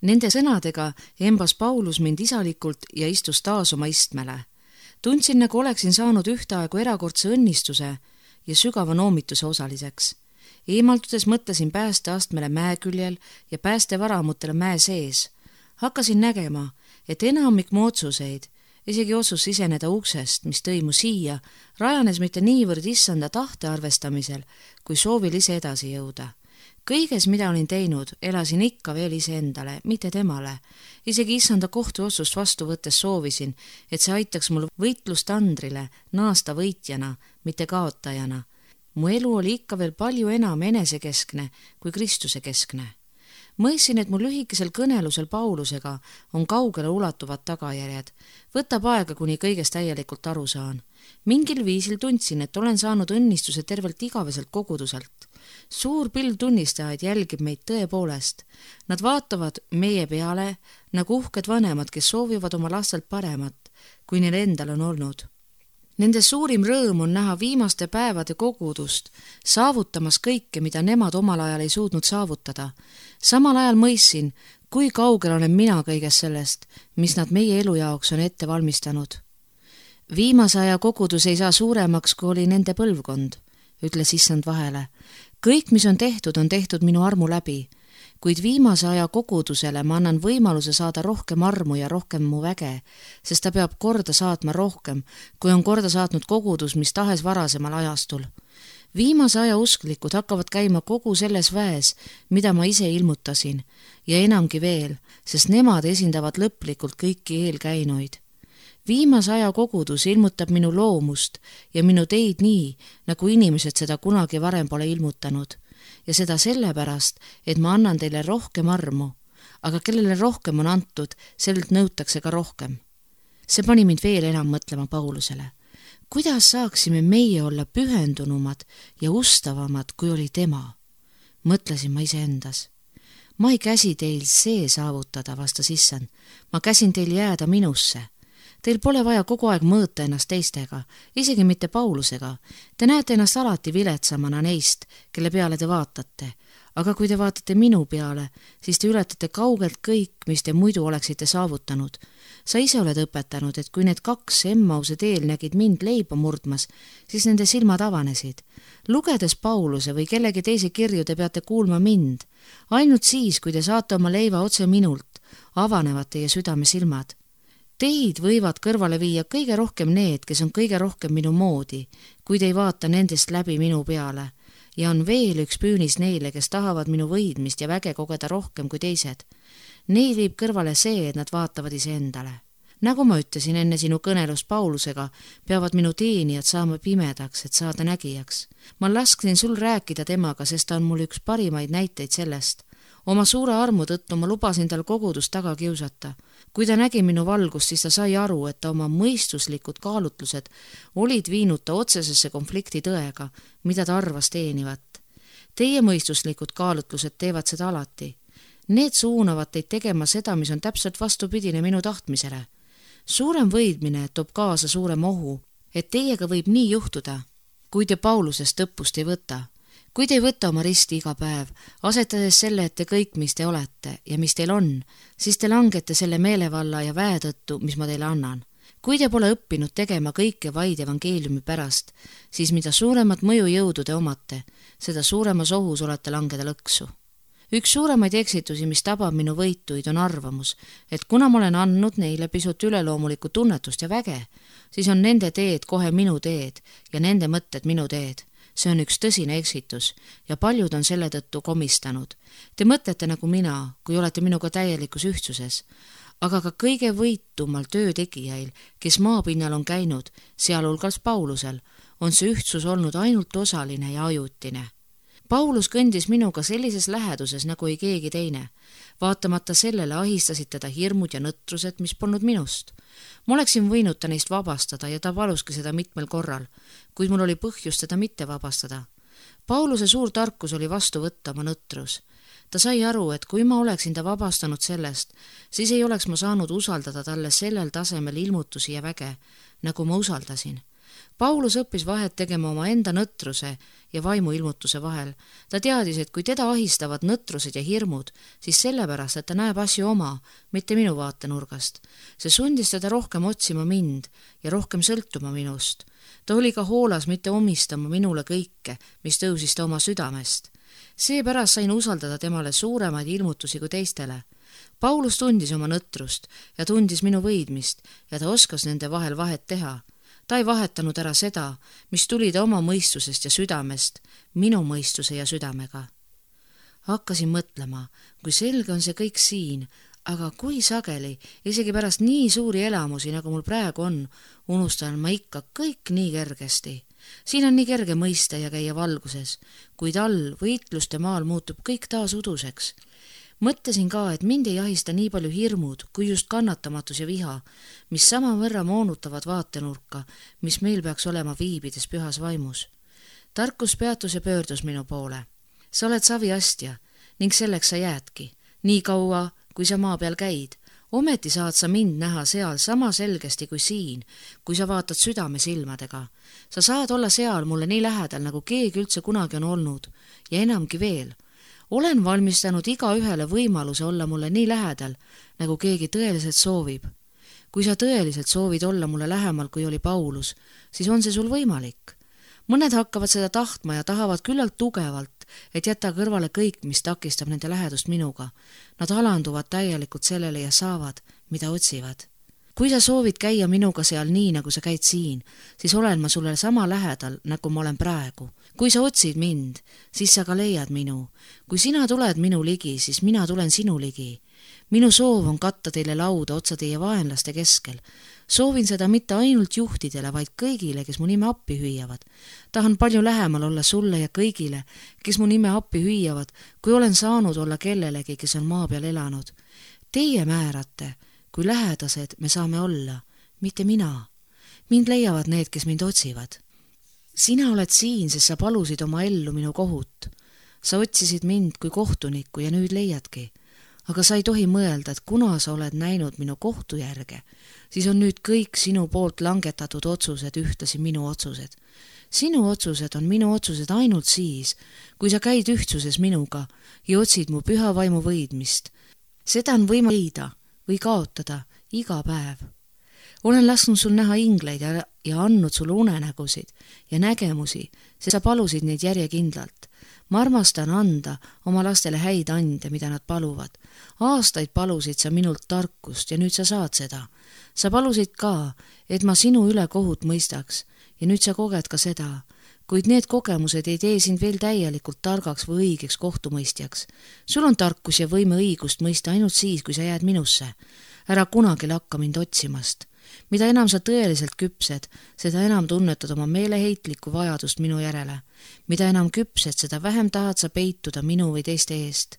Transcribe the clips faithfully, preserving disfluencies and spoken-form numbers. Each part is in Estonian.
Nende sõnadega embas Paulus mind isalikult ja istus taas oma istmele. Tundsin, nagu oleksin saanud ühtaegu erakordse õnnistuse ja sügava noomituse osaliseks. Eemaldudes mõtlesin päästeastmele mäeküljel ja päästevaramutele mäe sees. Hakkasin nägema, et enamik mu otsuseid, isegi otsus siseneda uksest, mis tõi mu siia, rajanes mitte niivõrd issanda tahte arvestamisel, kui soovil ise edasi jõuda. Kõiges, mida olin teinud, elasin ikka veel iseendale, mitte temale. Isegi issanda kohtuotsust vastu võttes soovisin, et see aitaks mul võitlust Andrile naasta võitjana, mitte kaotajana. Mu elu oli ikka veel palju enam enesekeskne kui Kristuse keskne. Mõistsin, et mu lühikesel kõnelusel Paulusega on kaugele ulatuvad tagajärjed. Võtab aega, kuni kõigest täielikult aru saan. Mingil viisil tundsin, et olen saanud õnnistuse tervelt igaveselt koguduselt. Suur pilv tunnistajaid jälgib meid tõepoolest. Nad vaatavad meie peale nagu uhked vanemad, kes soovivad oma lastelt paremat, kui neil endal on olnud. Nende suurim rõõm on näha viimaste päevade kogudust, saavutamas kõike, mida nemad omal ajal ei suutnud saavutada. Samal ajal mõistsin, kui kaugel olen mina kõigest sellest, mis nad meie elu jaoks on ette valmistanud. Viimase aja kogudus ei saa suuremaks, kui oli nende põlvkond, ütles issand vahele. Kõik, mis on tehtud, on tehtud minu armu läbi, kuid viimase aja kogudusele ma annan võimaluse saada rohkem armu ja rohkem mu väge, sest ta peab korda saatma rohkem, kui on korda saatnud kogudus, mis tahes varasemal ajastul. Viimase aja usklikud hakkavad käima kogu selles väes, mida ma ise ilmutasin, ja enamgi veel, sest nemad esindavad lõplikult kõiki eelkäinuid. Viimase aja kogudus ilmutab minu loomust ja minu teid nii, nagu inimesed seda kunagi varem pole ilmutanud. Ja seda sellepärast, et ma annan teile rohkem armu, aga kellele rohkem on antud, sellelt nõutakse ka rohkem. See pani mind veel enam mõtlema Paulusele. Kuidas saaksime meie olla pühendunumad ja ustavamad, kui oli tema? Mõtlesin ma iseendas. Ma ei käsi teil see saavutada, vastas issand. Ma käsin teil jääda minusse. Teil pole vaja kogu aeg mõõta ennast teistega, isegi mitte Paulusega. Te näete ennast alati viletsamana neist, kelle peale te vaatate. Aga kui te vaatate minu peale, siis te ületate kaugelt kõik, mis te muidu oleksite saavutanud. Sa ise oled õpetanud, et kui need kaks Emmause teel nägid mind leiba murdmas, siis nende silmad avanesid. Lugedes Pauluse või kellegi teise kirju te peate kuulma mind. Ainult siis, kui te saate oma leiva otse minult, avanevad teie südame silmad. Teid võivad kõrvale viia kõige rohkem need, kes on kõige rohkem minu moodi, kui te ei vaata nendest läbi minu peale. Ja on veel üks püünis neile, kes tahavad minu võidmist ja väge kogeda rohkem kui teised. Neid viib kõrvale see, et nad vaatavad iseendale. Nagu ma ütlesin enne sinu kõnelust Paulusega, peavad minu teenijad saama pimedaks, et saada nägijaks. Ma lasksin sul rääkida temaga, sest ta on mul üks parimaid näiteid sellest. Oma suure armu tõttu ma lubasin tal kogudust taga kiusata. Kui ta nägi minu valgust, siis ta sai aru, et ta oma mõistuslikud kaalutlused olid viinud ta otsesesse konflikti tõega, mida ta arvas teenivat. Teie mõistuslikud kaalutlused teevad seda alati. Need suunavad teid tegema seda, mis on täpselt vastupidine minu tahtmisele. Suurem võidmine toob kaasa suurem ohu, et teiega võib nii juhtuda, kui te Paulusest õppust ei võta. Kui te ei võta oma risti iga päev, asetades selle ette kõik, mis te olete ja mis teil on, siis te langete selle meelevalla ja väe tõttu, mis ma teile annan. Kui te pole õppinud tegema kõike vaid evangeeliumi pärast, siis mida suuremat mõjujõudu te omate, seda suuremas ohus olete langeda lõksu. Üks suuremaid eksitusi, mis tabab minu võituid, on arvamus, et kuna ma olen andnud neile pisut üleloomulikku tunnetust ja väge, siis on nende teed kohe minu teed ja nende mõtted minu teed. See on üks tõsine eksitus ja paljud on selle tõttu komistanud. Te mõtlete nagu mina, kui olete minuga täielikus ühtsuses, aga ka kõige võitumal töötegijail, kes maapinnal on käinud, sealhulgas Paulusel, on see ühtsus olnud ainult osaline ja ajutine. Paulus kõndis minuga sellises läheduses nagu ei keegi teine. Vaatamata sellele ahistasid teda hirmud ja nõtrused, mis polnud minust. Ma oleksin võinud ta neist vabastada ja ta paluski seda mitmel korral, kuid mul oli põhjust teda mitte vabastada. Pauluse suur tarkus oli vastu võtta oma nõtrus. Ta sai aru, et kui ma oleksin ta vabastanud sellest, siis ei oleks ma saanud usaldada talle sellel tasemel ilmutusi ja väge, nagu ma usaldasin. Paulus õppis vahet tegema oma enda nõtruse ja vaimuilmutuse vahel. Ta teadis, et kui teda ahistavad nõtrused ja hirmud, siis sellepärast, et ta näeb asju oma, mitte minu vaatenurgast. See sundis teda rohkem otsima mind ja rohkem sõltuma minust. Ta oli ka hoolas mitte omistama minule kõike, mis tõusis ta oma südamest. Seepärast sain usaldada temale suuremaid ilmutusi kui teistele. Paulus tundis oma nõtrust ja tundis minu võidmist ja ta oskas nende vahel vahet teha. Ta ei vahetanud ära seda, mis tuli ta oma mõistusest ja südamest, minu mõistuse ja südamega. Hakkasin mõtlema, kui selge on see kõik siin, aga kui sageli, isegi pärast nii suuri elamusi, nagu mul praegu on, unustan ma ikka kõik nii kergesti. Siin on nii kerge mõista ja käia valguses, kuid all võitluste maal muutub kõik taas uduseks. Mõtlesin ka, et mind ei ahista nii palju hirmud, kui just kannatamatus ja viha, mis samavõrra moonutavad vaatenurka, mis meil peaks olema viibides pühas vaimus. Tarkus peatus ja pöördus minu poole. Sa oled saviastja ning selleks sa jäädki, nii kaua, kui sa maa peal käid. Ometi saad sa mind näha seal sama selgesti kui siin, kui sa vaatad südame silmadega. Sa saad olla seal mulle nii lähedal, nagu keegi üldse kunagi on olnud ja enamgi veel. Olen valmistanud iga ühele võimaluse olla mulle nii lähedal, nagu keegi tõeliselt soovib. Kui sa tõeliselt soovid olla mulle lähemal, kui oli Paulus, siis on see sul võimalik. Mõned hakkavad seda tahtma ja tahavad küllalt tugevalt, et jätta kõrvale kõik, mis takistab nende lähedust minuga. Nad alanduvad täielikult sellele ja saavad, mida otsivad. Kui sa soovid käia minuga seal nii, nagu sa käid siin, siis olen ma sulle sama lähedal, nagu ma olen praegu. Kui sa otsid mind, siis sa ka leiad minu. Kui sina tuled minu ligi, siis mina tulen sinu ligi. Minu soov on katta teile lauda otsa teie vaenlaste keskel. Soovin seda mitte ainult juhtidele, vaid kõigile, kes mu nime appi hüüavad. Tahan palju lähemal olla sulle ja kõigile, kes mu nime appi hüüavad, kui olen saanud olla kellelegi, kes on maa peal elanud. Teie määrate, kui lähedased me saame olla, mitte mina. Mind leiavad need, kes mind otsivad. Sina oled siin, sest sa palusid oma ellu minu kohut. Sa otsisid mind kui kohtunikku ja nüüd leiadki. Aga sa ei tohi mõelda, et kuna sa oled näinud minu kohtu järge, siis on nüüd kõik sinu poolt langetatud otsused ühtlasi minu otsused. Sinu otsused on minu otsused ainult siis, kui sa käid ühtsuses minuga ja otsid mu püha vaimu võidmist. Seda on võima leida või kaotada iga päev. Olen lasknud sul näha ingleid ja, ja andnud sulle unenägusid ja nägemusi, sest sa palusid neid järjekindlalt. Ma armastan anda oma lastele häid ande, mida nad paluvad. Aastaid palusid sa minult tarkust ja nüüd sa saad seda. Sa palusid ka, et ma sinu üle kohut mõistaks ja nüüd sa koged ka seda. Kuid need kogemused ei tee sind veel täielikult targaks või õigeks kohtumõistjaks. Sul on tarkus ja võime õigust mõista ainult siis, kui sa jääd minusse. Ära kunagi lakka mind otsimast. Mida enam sa tõeliselt küpsed, seda enam tunnetad oma meeleheitlikku vajadust minu järele. Mida enam küpsed, seda vähem tahad sa peituda minu või teiste eest.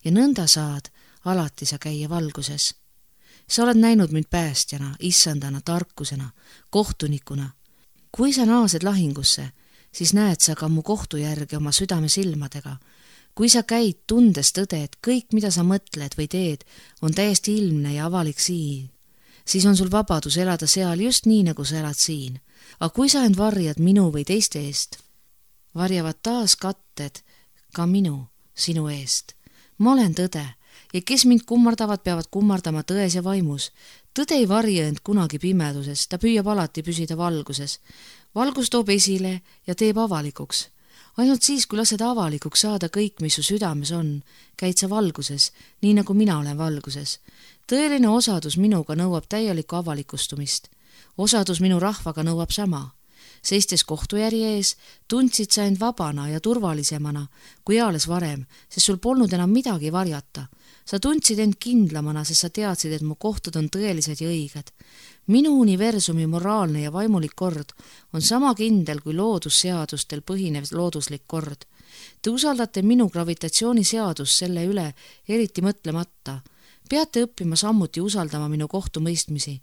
Ja nõnda saad alati sa käia valguses. Sa oled näinud mind päästjana, issandana, tarkusena, kohtunikuna. Kui sa naased lahingusse, siis näed sa ka mu kohtu järgi oma südame silmadega. Kui sa käid tundes tõde, et kõik, mida sa mõtled või teed, on täiesti ilmne ja avalik siin, siis on sul vabadus elada seal just nii, nagu sa elad siin. Aga kui sa end varjad minu või teiste eest, varjavad taas katted ka minu, sinu eest. Ma olen tõde ja kes mind kummardavad, peavad kummardama tões ja vaimus. Tõde ei varja end kunagi pimeduses, ta püüab alati püsida valguses. Valgus toob esile ja teeb avalikuks. Ainult siis, kui lased avalikuks saada kõik, mis su südames on, käid sa valguses, nii nagu mina olen valguses. Tõeline osadus minuga nõuab täielikku avalikustumist. Osadus minu rahvaga nõuab sama. Seistes kohtujärje ees, tundsid sa end vabana ja turvalisemana kui eales varem, sest sul polnud enam midagi varjata. Sa tundsid end kindlamana, sest sa teadsid, et mu kohtud on tõelised ja õiged. Minu universumi moraalne ja vaimulik kord on sama kindel kui loodusseadustel põhinev looduslik kord. Te usaldate minu gravitatsiooniseadust selle üle eriti mõtlemata. Peate õppima sammuti usaldama minu kohtumõistmisi.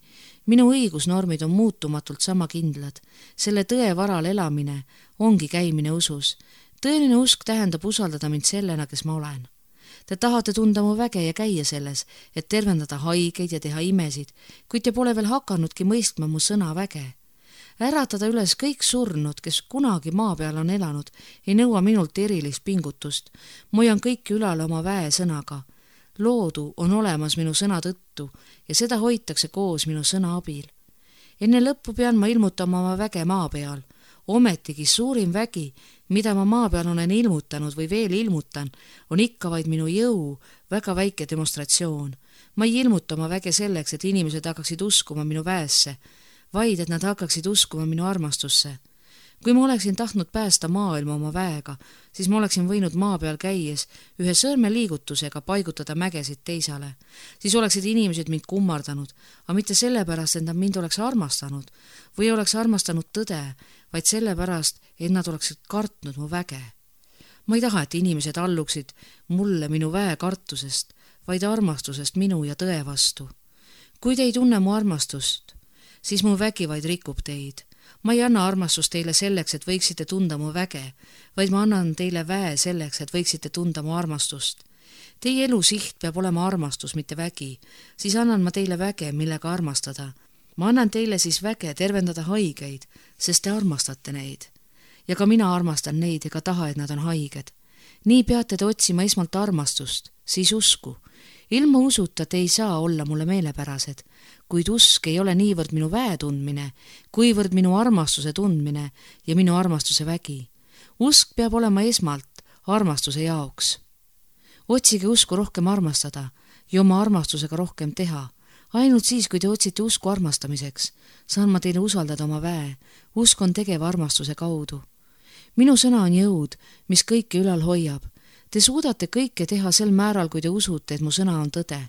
Minu õigusnormid on muutumatult sama kindlad. Selle tõe varal elamine ongi käimine usus. Tõeline usk tähendab usaldada mind sellena, kes ma olen. Te tahate tunda mu väge ja käia selles, et tervendada haigeid ja teha imesid, kuid te pole veel hakannudki mõistma mu sõna väge. äratada üles kõik surnud, kes kunagi maa peal on elanud, ei nõua minult erilist pingutust. Ma hoian kõiki ülal oma väe sõnaga. Loodu on olemas minu sõna tõttu ja seda hoitakse koos minu sõna abil. Enne lõppu pean ma ilmutama oma väge maa peal. Ometigi suurim vägi, mida ma maa peal olen ilmutanud või veel ilmutan, on ikka vaid minu jõu väga väike demonstratsioon. Ma ei ilmuta oma väge selleks, et inimesed hakkaksid uskuma minu väesse, vaid et nad hakkaksid uskuma minu armastusse. Kui ma oleksin tahtnud päästa maailma oma väega, siis ma oleksin võinud maa peal käies ühe sõrme liigutusega paigutada mägesid teisale. Siis oleksid inimesed mind kummardanud, aga mitte sellepärast, et nad mind oleks armastanud või oleks armastanud tõde, vaid sellepärast, et nad oleksid kartnud mu väge. Ma ei taha, et inimesed alluksid mulle minu väe kartusest, vaid armastusest minu ja tõe vastu. Kui te ei tunne mu armastust, siis mu vägi vaid rikub teid. Ma ei anna armastust teile selleks, et võiksite tunda mu väge, vaid ma annan teile väe selleks, et võiksite tunda mu armastust. Teie elu siht peab olema armastus, mitte vägi. Siis annan ma teile väge, millega armastada. Ma annan teile siis väge tervendada haigeid, sest te armastate neid. Ja ka mina armastan neid ega taha, et nad on haiged. Nii peate te otsima esmalt armastust, siis usku. Ilma usuta te ei saa olla mulle meelepärased, kuid usk ei ole niivõrd minu väe tundmine, kuivõrd minu armastuse tundmine ja minu armastuse vägi. Usk peab olema esmalt armastuse jaoks. Otsige usku rohkem armastada ja oma armastusega rohkem teha. Ainult siis, kui te otsite usku armastamiseks, saan ma teile usaldada oma väe. Usk on tegev armastuse kaudu. Minu sõna on jõud, mis kõike ülal hoiab. Te suudate kõike teha sel määral, kui te usute, et mu sõna on tõde.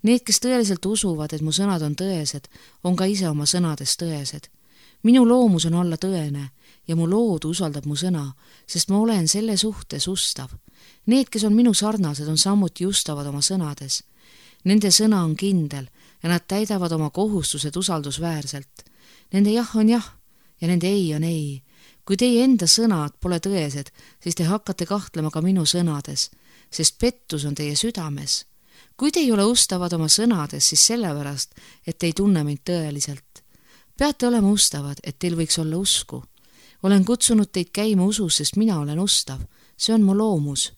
Need, kes tõeliselt usuvad, et mu sõnad on tõesed, on ka ise oma sõnades tõesed. Minu loomus on olla tõene ja mu loodu usaldab mu sõna, sest ma olen selle suhtes ustav. Need, kes on minu sarnased, on samuti ustavad oma sõnades. Nende sõna on kindel ja nad täidavad oma kohustused usaldusväärselt. Nende jah on jah ja nende ei on ei. Kui teie enda sõnad pole tõesed, siis te hakkate kahtlema ka minu sõnades, sest pettus on teie südames. Kui te ei ole ustavad oma sõnades, siis sellepärast, et te ei tunne mind tõeliselt. Peate olema ustavad, et teil võiks olla usku. Olen kutsunud teid käima usus, sest mina olen ustav. See on mu loomus.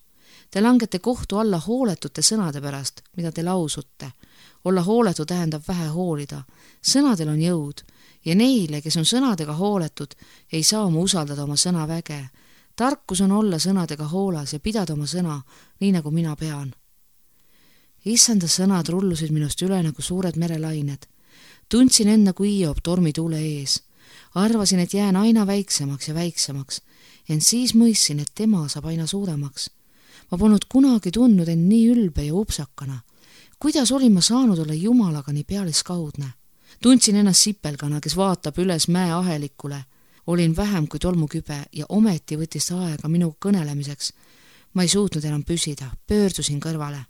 Te langete kohtu alla hooletute sõnade pärast, mida te lausute. Olla hooletu tähendab vähe hoolida. Sõnadel on jõud. Ja neile, kes on sõnadega hooletud, ei saa oma usaldada oma sõna väge. Tarkus on olla sõnadega hoolas ja pidada oma sõna, nii nagu mina pean. Issanda sõnad rullusid minust üle nagu suured merelained. Tundsin end nagu Hiob tormituule ees. Arvasin, et jään aina väiksemaks ja väiksemaks, ent siis mõistsin, et tema saab aina suuremaks. Ma polnud kunagi tundnud end nii ülbe ja upsakana. Kuidas olin ma saanud olla Jumalaga nii pealiskaudne? Tundsin ennast sipelgana, kes vaatab üles mäe ahelikule. Olin vähem kui tolmukübe ja ometi võttis aega minu kõnelemiseks. Ma ei suutnud enam püsida, pöördusin kõrvale.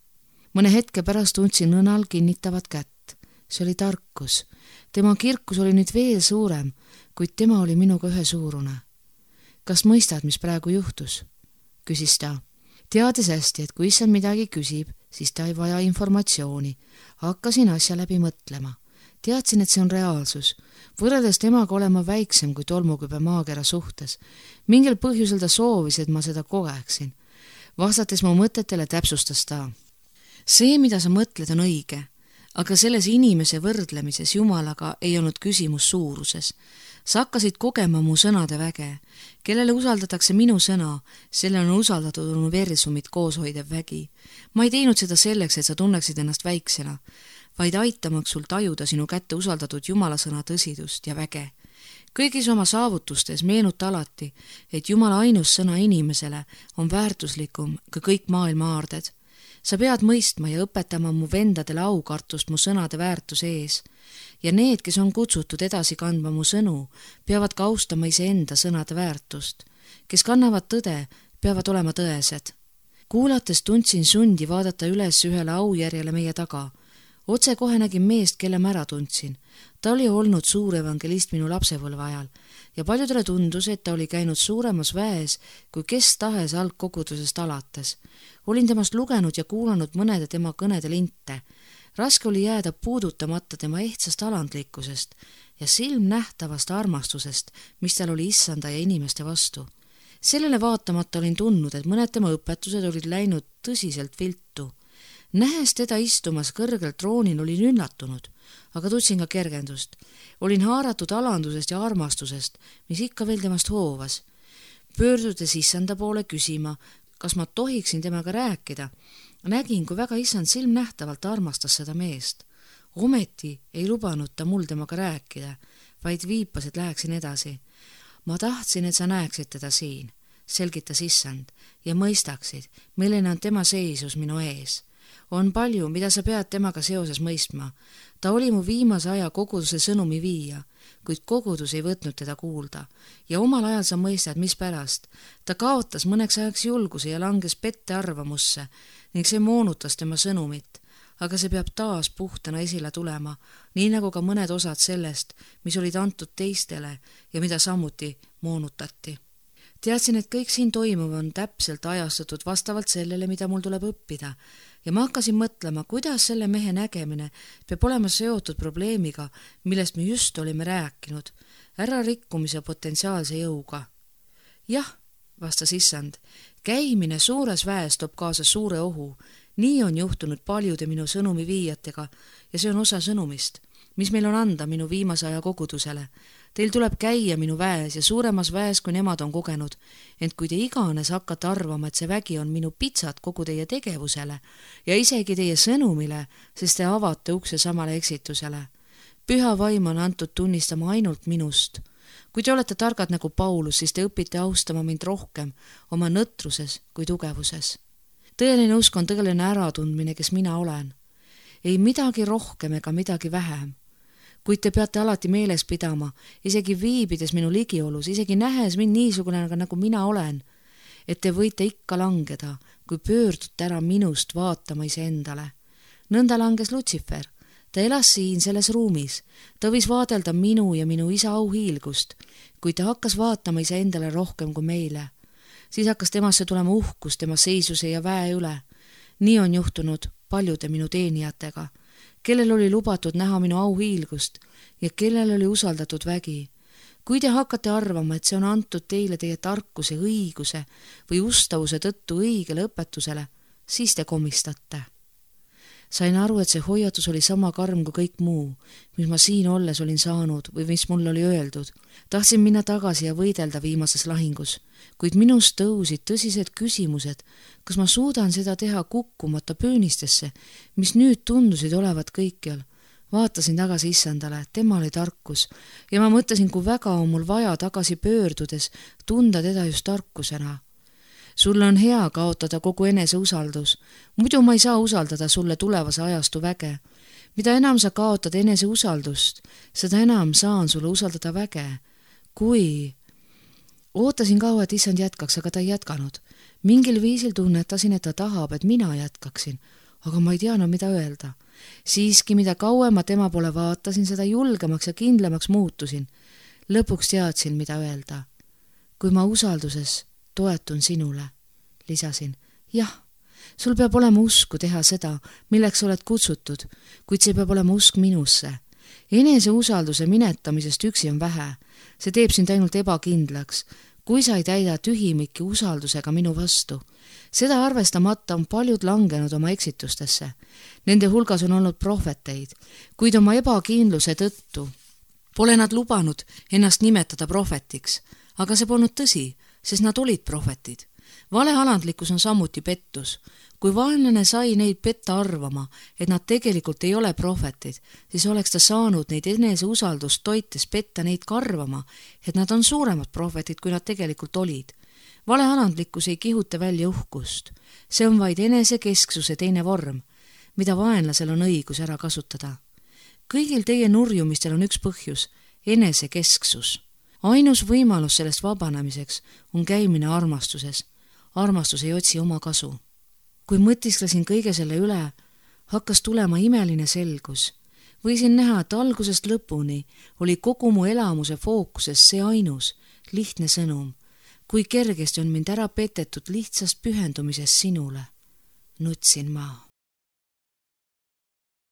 Mõne hetke pärast tundsin nõnal kinnitavat kätt. See oli tarkus. Tema kirkus oli nüüd veel suurem, kuid tema oli minuga ühesuurune. Kas mõistad, mis praegu juhtus? Küsis ta. Teades hästi, et kui issand midagi küsib, siis ta ei vaja informatsiooni. Hakkasin asja läbi mõtlema. Teadsin, et see on reaalsus. Võrreldes temaga olema väiksem kui tolmukübe maakera suhtes. Mingil põhjusel ta soovis, et ma seda kogeksin. Vastates mu mõtetele täpsustas ta. See, mida sa mõtled, on õige, aga selles inimese võrdlemises Jumalaga ei olnud küsimus suuruses. Sa hakkasid kogema mu sõnade väge. Kellele usaldatakse minu sõna, sellele on usaldatud universumit kooshoidev vägi. Ma ei teinud seda selleks, et sa tunneksid ennast väiksena, vaid aitamaks sul tajuda sinu kätte usaldatud Jumala sõna tõsidust ja väge. Kõigis oma saavutustes meenuta alati, et Jumala ainus sõna inimesele on väärtuslikum ka kõik maailma aarded. Sa pead mõistma ja õpetama mu vendadele aukartust mu sõnade väärtuse ees. Ja need, kes on kutsutud edasi kandma mu sõnu, peavad ka austama iseenda sõnade väärtust. Kes kannavad tõde, peavad olema tõesed. Kuulates tundsin sundi vaadata üles ühele aujärjele meie taga. Otse kohe nägin meest, kelle ma ära tundsin. Ta oli olnud suur evangelist minu lapsepõlve ajal ja paljudele tundus, et ta oli käinud suuremas väes kui kes tahes algkogudusest alates. Olin temast lugenud ja kuulanud mõnede tema kõnede linte. Raske oli jääda puudutamata tema ehtsast alandlikkusest ja silmnähtavast armastusest, mis tal oli issanda ja inimeste vastu. Sellele vaatamata olin tundnud, et mõned tema õpetused olid läinud tõsiselt viltu. Nähes teda istumas kõrgel troonil olin üllatunud, aga tundsin ka kergendust. Olin haaratud alandusest ja armastusest, mis ikka veel temast hoovas. Pöördudes issanda poole küsima, kas ma tohiksin temaga rääkida. Nägin, kui väga issand silmnähtavalt armastas seda meest. Ometi ei lubanud ta mul temaga rääkida, vaid viipas, et läheksin edasi. Ma tahtsin, et sa näeksid teda siin, selgitas issand, ja mõistaksid, milline on tema seisus minu ees. On palju, mida sa pead temaga seoses mõistma. Ta oli mu viimase aja koguduse sõnumi viia, kuid kogudus ei võtnud teda kuulda. Ja omal ajal sa mõistad, mis pärast. Ta kaotas mõneks ajaks julguse ja langes pette arvamusse ning see moonutas tema sõnumit. Aga see peab taas puhtana esile tulema, nii nagu ka mõned osad sellest, mis olid antud teistele ja mida samuti moonutati. Teadsin, et kõik siin toimuv on täpselt ajastatud vastavalt sellele, mida mul tuleb õppida, ja ma hakkasin mõtlema, kuidas selle mehe nägemine peab olema seotud probleemiga, millest me just olime rääkinud, ärarikkumise potentsiaalse jõuga. Jah, vastas issand, käimine suures väes toob kaasa suure ohu. Nii on juhtunud paljude minu sõnumi viijatega ja see on osa sõnumist, mis meil on anda minu viimase aja kogudusele. Teil tuleb käia minu väes ja suuremas väes, kui nemad on kogenud, ent kui te iganes hakkate arvama, et see vägi on minu pitsat kogu teie tegevusele ja isegi teie sõnumile, sest te avate ukse samale eksitusele. Püha vaim on antud tunnistama ainult minust. Kui te olete targad nagu Paulus, siis te õpite austama mind rohkem oma nõtruses kui tugevuses. Tõeline usk on tõeline äratundmine, kes mina olen. Ei midagi rohkem ega midagi vähem. Kuid te peate alati meeles pidama, isegi viibides minu ligiolus, isegi nähes mind niisugune nagu mina olen, et te võite ikka langeda, kui pöördute ära minust vaatama iseendale. Nõnda langes Lutsifer. Ta elas siin selles ruumis. Ta võis vaadelda minu ja minu isa auhiilgust, kui ta hakkas vaatama iseendale rohkem kui meile. Siis hakkas temasse tulema uhkus tema seisuse ja väe üle. Nii on juhtunud paljude minu teenijatega, kellel oli lubatud näha minu auhiilgust ja kellel oli usaldatud vägi. Kui te hakkate arvama, et see on antud teile teie tarkuse, õiguse või ustavuse tõttu õigele õpetusele, siis te komistate. Sain aru, et see hoiatus oli sama karm kui kõik muu, mis ma siin olles olin saanud või mis mul oli öeldud. Tahtsin minna tagasi ja võidelda viimases lahingus, kuid minust tõusid tõsised küsimused, kas ma suudan seda teha kukkumata pöönistesse, mis nüüd tundusid olevat kõikjal. Vaatasin tagasi issandale, tema oli tarkus ja ma mõtlesin, kui väga on mul vaja tagasi pöördudes tunda teda just tarkusena. Sulle on hea kaotada kogu enese usaldus, muidu ma ei saa usaldada sulle tulevase ajastu väge. Mida enam sa kaotad enese usaldust, seda enam saan sulle usaldada väge. Kui... Ootasin kaua, et issand jätkaks, aga ta ei jätkanud. Mingil viisil tunnetasin, et ta tahab, et mina jätkaksin, aga ma ei teadnud, mida öelda. Siiski, mida kauem ma tema poole vaatasin, seda julgemaks ja kindlamaks muutusin. Lõpuks teadsin, mida öelda. Kui ma usalduses toetun sinule, lisasin. Jah, sul peab olema usku teha seda, milleks oled kutsutud, kuid see peab olema usk minusse. Enese usalduse minetamisest üksi on vähe. See teeb sind ainult ebakindlaks, kui sa ei täida tühimiki usaldusega minu vastu. Seda arvestamata on paljud langenud oma eksitustesse. Nende hulgas on olnud prohveteid, kuid oma ebakindluse tõttu pole nad lubanud ennast nimetada prohvetiks, aga see polnud tõsi, sest nad olid prohvetid. Valealandlikkus on samuti pettus. Kui vaenlane sai neid petta arvama, et nad tegelikult ei ole prohvetid, siis oleks ta saanud neid enese usaldust toites petta neid karvama, et nad on suuremad prohvetid, kui nad tegelikult olid. Valealandlikkus ei kihuta välja uhkust. See on vaid enesekesksuse teine vorm, mida vaenlasel on õigus ära kasutada. Kõigil teie nurjumistel on üks põhjus, enesekesksus. Ainus võimalus sellest vabanemiseks on käimine armastuses. Armastus ei otsi oma kasu. Kui mõtisklesin kõige selle üle, hakkas tulema imeline selgus. Võisin näha, et algusest lõpuni oli kogu mu elamuse fookuses see ainus, lihtne sõnum. Kui kergesti on mind ära petetud lihtsast pühendumisest sinule. Nutsin ma.